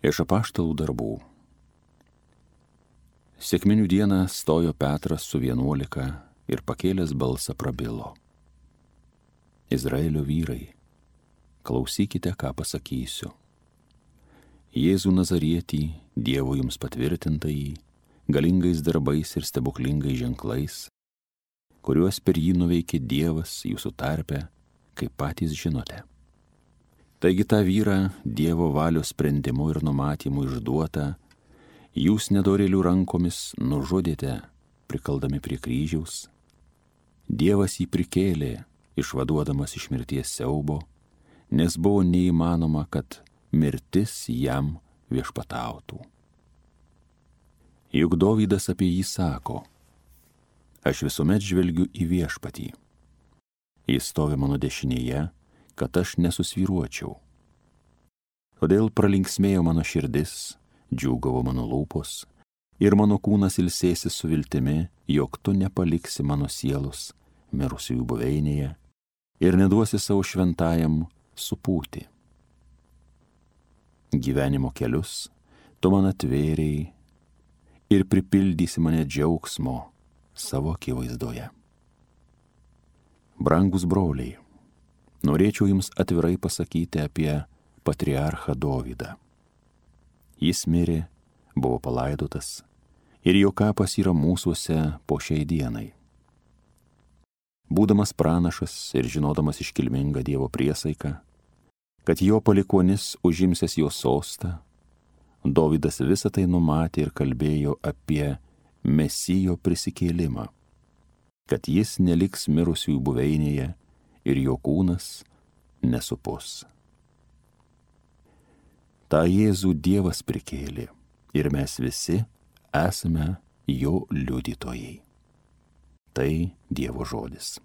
Iš apaštalų darbų. Sekminių dieną stojo Petras su 11 ir pakėlęs balsą prabilo. Izraelio vyrai, klausykite, ką pasakysiu. Jėzų Nazarietį, Dievo jums patvirtintąjį, galingais darbais ir stebuklingais ženklais, kuriuos per jį nuveikė Dievas jūsų tarpe, kaip patys žinote. Taigi tą vyrą Dievo valios sprendimu ir numatymu išduotą, jūs nedorėlių rankomis nužudėte, prikaldami prie kryžiaus. Dievas jį prikėlė, išvaduodamas iš mirties siaubo, nes buvo neįmanoma, kad mirtis jam viešpatautų. Juk Dovydas apie jį sako: aš visuomet žvelgiu į viešpatį. Jis stovi mano dešinėje, kad aš nesusvyruočiau. Todėl pralinksmėjo mano širdis, džiūgavo mano lūpos, ir mano kūnas ilsėsis su viltimi, jog tu nepaliksi mano sielos mirusiųjų buveinėje ir neduosi savo šventajam supūti. Gyvenimo kelius tu man atvėrei ir pripildysi mane džiaugsmo savo akivaizdoje. Brangus broliai, norėčiau jums atvirai pasakyti apie patriarchą Dovydą. Jis mirė, buvo palaidotas ir jo kapas yra mūsuose po šiai dienai. Būdamas pranašas ir žinodamas iškilmingą Dievo priesaiką, kad jo palikuonis užimsės jo sostą, Dovydas visą tai numatė ir kalbėjo apie Mesijo prisikėlimą, kad jis neliks mirusiųjų buveinėje ir jo kūnas nesupus. Ta Jėzų Dievas prikėlė ir mes visi esame jo liudytojai. Tai Dievo žodis.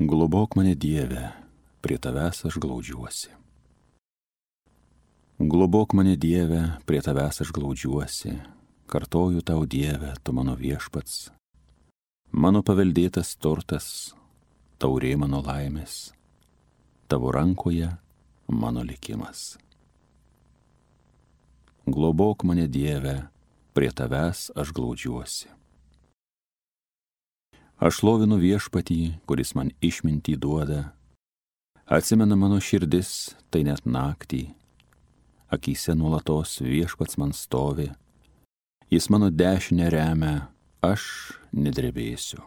Globok mane, Dieve, prie tavęs aš glaudžiuosi. Globok mane, Dieve, prie tavęs aš glaudžiuosi, kartoju tau, Dieve, tu mano viešpats, mano paveldėtas turtas, taurė mano laimės, tavo rankoje mano likimas. Globok mane, Dieve, prie tavęs aš glaudžiuosi. Aš šlovinu viešpatį, kuris man išmintį duoda, atsimena mano širdis, tai net naktį, akyse nuolatos viešpats man stovi, jis mano dešinę remia, aš nedrebėsiu.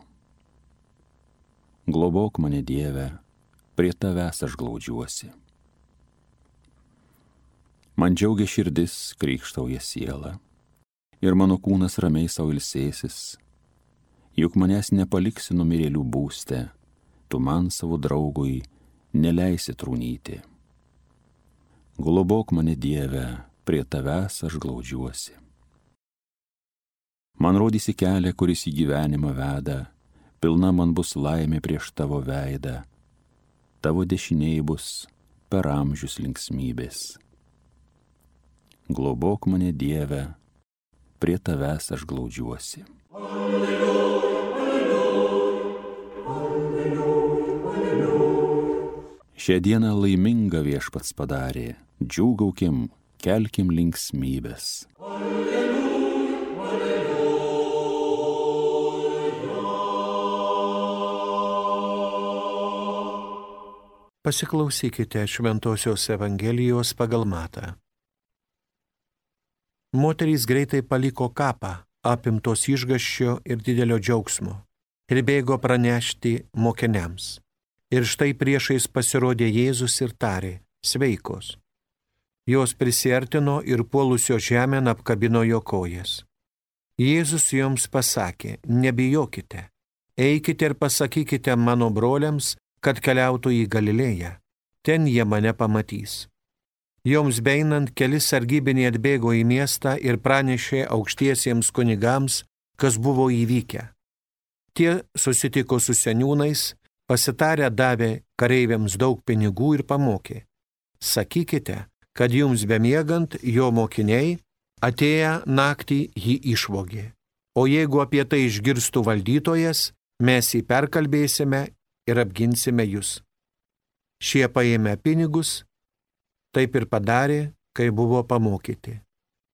Globok mane, Dieve, prie tavęs aš glaudžiuosi. Man džiaugia širdis, krykštauja siela, ir mano kūnas ramiai sau ilsėsis, juk manęs nepaliksi numirėlių būste, tu man savo draugui neleisi trūnyti. Globok mane, Dieve, prie tavęs aš glaudžiuosi. Man rodysi kelią, kuris į gyvenimą veda, pilna man bus laimė prieš tavo veidą, tavo dešinėj bus per amžius linksmybės. Globok mane, Dieve, prie tavęs aš glaudžiuosi. Šią dieną laimingą viešpats padarė, džiūgaukim, kelkim linksmybės. Pasiklausykite Šventosios Evangelijos pagal Matą. Moterys greitai paliko kapą, apimtos išgąsčio ir didelio džiaugsmo, ir bėgo pranešti mokiniams. Ir štai priešais pasirodė Jėzus ir tarė: sveikos. Jos prisiartino ir puolusio žemėn apkabino jo kojas. Jėzus joms pasakė: nebijokite, eikite ir pasakykite mano broliams, kad keliautų į Galilėją, ten jie mane pamatys. Joms beeinant keli sargybiniai atbėgo į miestą ir pranešė aukštiesiems kunigams, kas buvo įvykę. Tie susitiko su seniūnais Pasitarę davė kareiviams daug pinigų ir pamokė: sakykite, kad jums bemiegant jo mokiniai atėję naktį jį išvogė. O jeigu apie tai išgirstų valdytojas, mes jį perkalbėsime ir apginsime jūs. Šie paėmė pinigus, taip ir padarė, kai buvo pamokyti.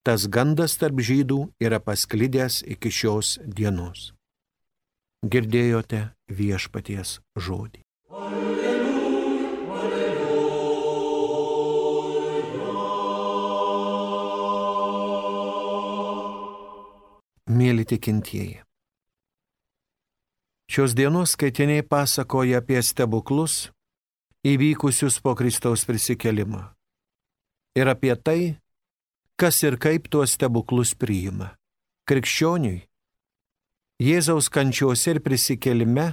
Tas gandas tarp žydų yra pasklidęs iki šios dienos. Girdėjote viešpaties žodį. Mėly tikintieji, šios dienos skaitiniai pasakoja apie stebuklus įvykusius po Kristaus prisikėlimą ir apie tai, kas ir kaip tuos stebuklus priima. Krikščioniui Jėzaus kančiose ir prisikėlime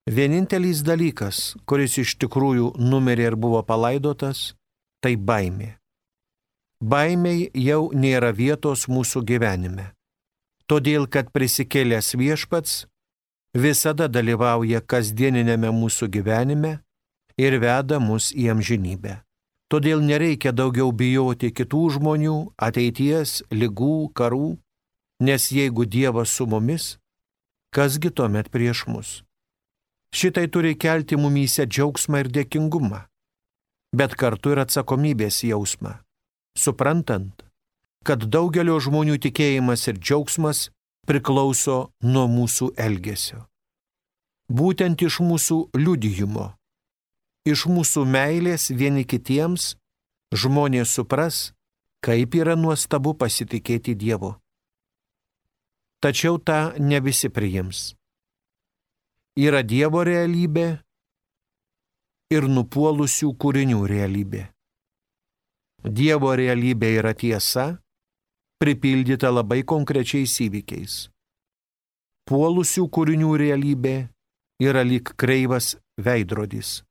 vienintelis dalykas, kuris iš tikrųjų numirė ir buvo palaidotas, tai baimė. Baimiai jau nėra vietos mūsų gyvenime. Todėl, kad prisikėlęs viešpats visada dalyvauja kasdieninėme mūsų gyvenime ir veda mus į amžinybę. Todėl nereikia daugiau bijoti kitų žmonių, ateities, ligų, karų, nes jeigu Dievas su mumis, kasgi tuomet prieš mus? Šitai turi kelti mumyse džiaugsmą ir dėkingumą, bet kartu ir atsakomybės jausmą, suprantant, kad daugelio žmonių tikėjimas ir džiaugsmas priklauso nuo mūsų elgesio. Būtent iš mūsų liudijimo, iš mūsų meilės vieni kitiems žmonės supras, kaip yra nuostabu pasitikėti Dievu. Tačiau tą ne visi priims. Yra Dievo realybė ir nupuolusių kūrinių realybė. Dievo realybė yra tiesa, pripildyta labai konkrečiais įvykiais. Puolusių kūrinių realybė yra lyg kreivas veidrodis,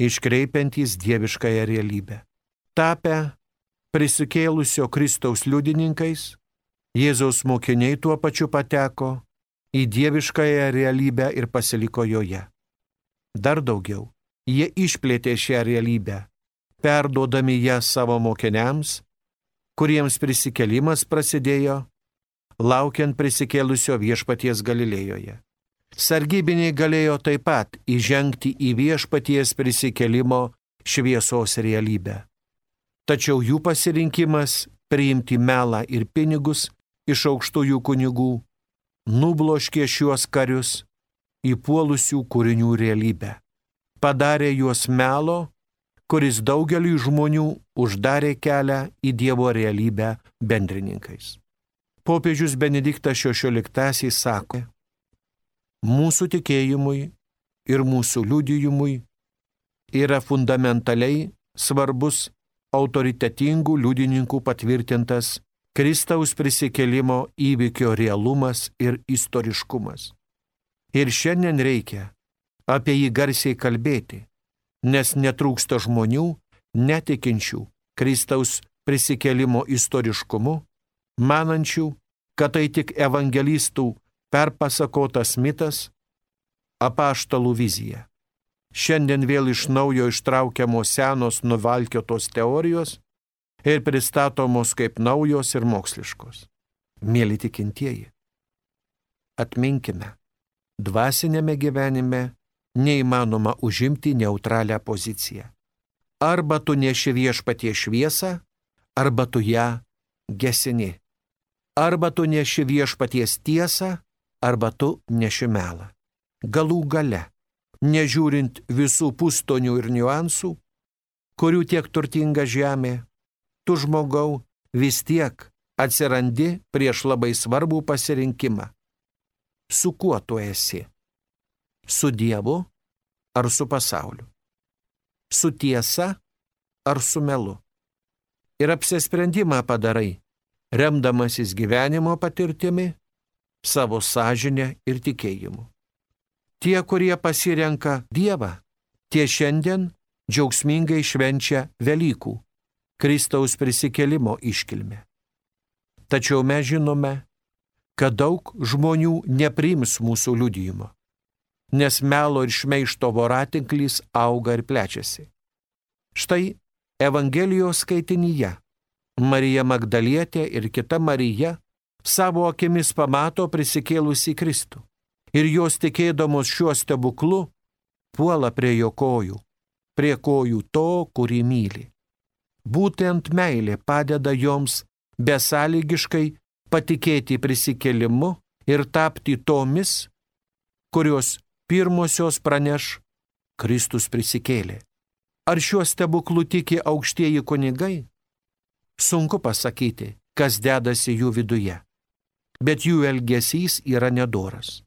iškreipiantys dieviškąją realybę. Tapę prisikėlusio Kristaus liudininkais, Jėzaus mokiniai tuo pačiu pateko į dieviškąją realybę ir pasiliko joje. Dar daugiau, jie išplėtė šią realybę, perduodami ją savo mokiniams, kuriems prisikėlimas prasidėjo, laukiant prisikėlusio viešpaties Galilėjoje. Sargybiniai galėjo taip pat įžengti į viešpaties prisikėlimo šviesos realybę. Tačiau jų pasirinkimas priimti melą ir pinigus iš aukštųjų kunigų nubloškė šiuos karius į puolusių kūrinių realybę. Padarė juos melo, kuris daugeliui žmonių uždarė kelią į Dievo realybę bendrininkais. Popiežius Benediktas XVI sako: mūsų tikėjimui ir mūsų liudijimui yra fundamentaliai svarbus autoritetingų liudininkų patvirtintas Kristaus prisikėlimo įvykio realumas ir istoriškumas. Ir šiandien reikia apie jį garsiai kalbėti, nes netrūksta žmonių, netikinčių Kristaus prisikėlimo istoriškumu, manančių, kad tai tik evangelistų perpasakotas mitas, apaštalų vizija. Šiandien vėl iš naujo ištraukiamos senos nuvalkiotos teorijos ir pristatomos kaip naujos ir moksliškos. Mėly tikintieji, atminkime, dvasinėme gyvenime neįmanoma užimti neutralią poziciją. Arba tu neši viešpaties šviesą, arba tu ją gesini. Arba tu neši viešpaties tiesą, arba tu neši melą. Galų gale, nežiūrint visų pustonių ir niuansų, kurių tiek turtinga žemė, tu žmogau vis tiek atsirandi prieš labai svarbų pasirinkimą. Su kuo tu esi? Su Dievu ar su pasauliu? Su tiesa ar su melu? Ir apsisprendimą padarai, remdamasis gyvenimo patirtimi, savo sąžinę ir tikėjimu. Tie, kurie pasirenka Dievą, tie šiandien džiaugsmingai švenčia Velykų, Kristaus prisikėlimo iškilmę. Tačiau mes žinome, kad daug žmonių nepriims mūsų liudijimo. nes melo ir šmeižto voratinklys auga ir plečiasi. Štai Evangelijos skaitinyje Marija Magdalietė ir kita Marija savo akimis pamato prisikėlusį Kristų ir jos tikėdamos šiuo stebuklu puola prie jo kojų, prie kojų to, kurį myli. Būtent meilė padeda joms besąlygiškai patikėti prisikėlimu ir tapti tomis, kurios pirmosios praneš Kristus prisikėlė. Ar šiuo stebuklu tiki aukštieji kunigai? Sunku pasakyti, kas dedasi jų viduje, bet jų elgesys yra nedoras,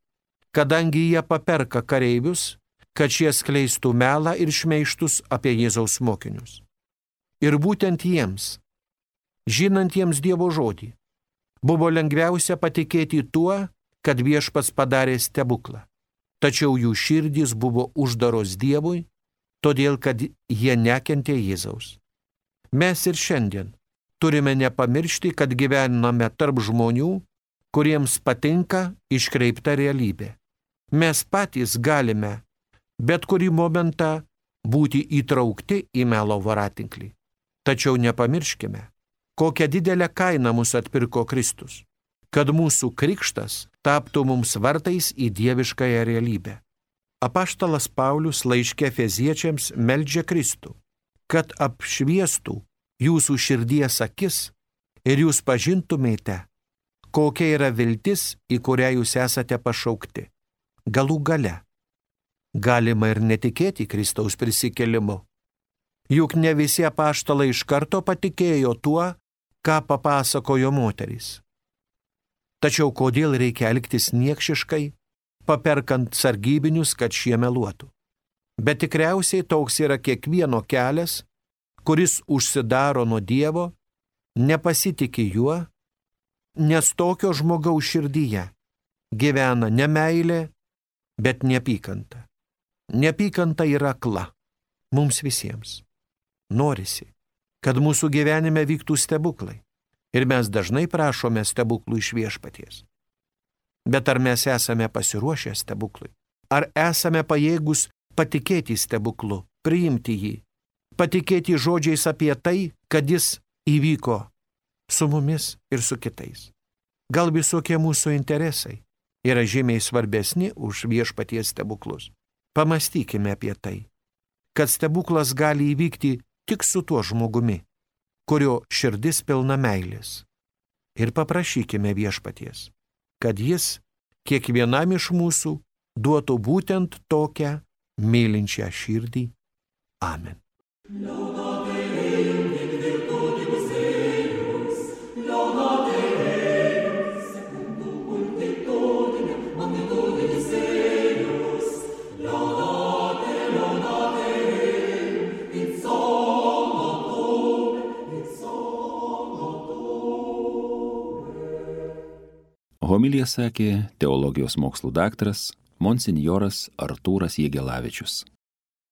kadangi jie paperka kareivius, kad šie skleistų melą ir šmeižtus apie Jėzaus mokinius. Ir būtent jiems, žinantiems Dievo žodį, buvo lengviausia patikėti tuo, kad Viešpats padarė stebuklą. Tačiau jų širdys buvo uždaros Dievui, todėl kad jie nekentė Jėzaus. Mes ir šiandien turime nepamiršti, kad gyvename tarp žmonių, kuriems patinka iškreipta realybė. Mes patys galime bet kurį momentą būti įtraukti į melo voratinklį. Tačiau nepamirškime, kokią didelę kainą mus atpirko Kristus, kad mūsų krikštas taptų mums vartais į dieviškąją realybę. Apaštalas Paulius laiške Efeziečiams meldžia Kristų, kad apšviestų jūsų širdies akis ir jūs pažintumėte, kokia yra viltis, į kurią jūs esate pašaukti. Galų gale galima ir netikėti Kristaus prisikėlimu. Juk ne visi apaštalai iš karto patikėjo tuo, ką papasakojo moterys. Tačiau kodėl reikia elgtis niekšiškai, paperkant sargybinius, kad šie meluotų? Bet tikriausiai toks yra kiekvieno kelias, kuris užsidaro nuo Dievo, nepasitiki juo, nes tokio žmogaus širdyje gyvena ne meilė, bet neapykanta. Neapykanta yra akla mums visiems. Norisi, kad mūsų gyvenime vyktų stebuklai. Ir mes dažnai prašome stebuklų iš Viešpaties. Bet ar mes esame pasiruošę stebuklui? Ar esame pajėgus patikėti stebuklu, priimti jį, patikėti žodžiais apie tai, kad jis įvyko su mumis ir su kitais? Gal visokie mūsų interesai yra žymiai svarbesni už Viešpaties stebuklus? Pamastykime apie tai, kad stebuklas gali įvykti tik su tuo žmogumi, kurio širdis pilna meilės. Ir paprašykime Viešpaties, kad jis kiekvienam iš mūsų duotų būtent tokią mylinčią širdį. Amen. Homiliją sakė teologijos mokslų daktaras monsinjoras Artūras Jegelavičius.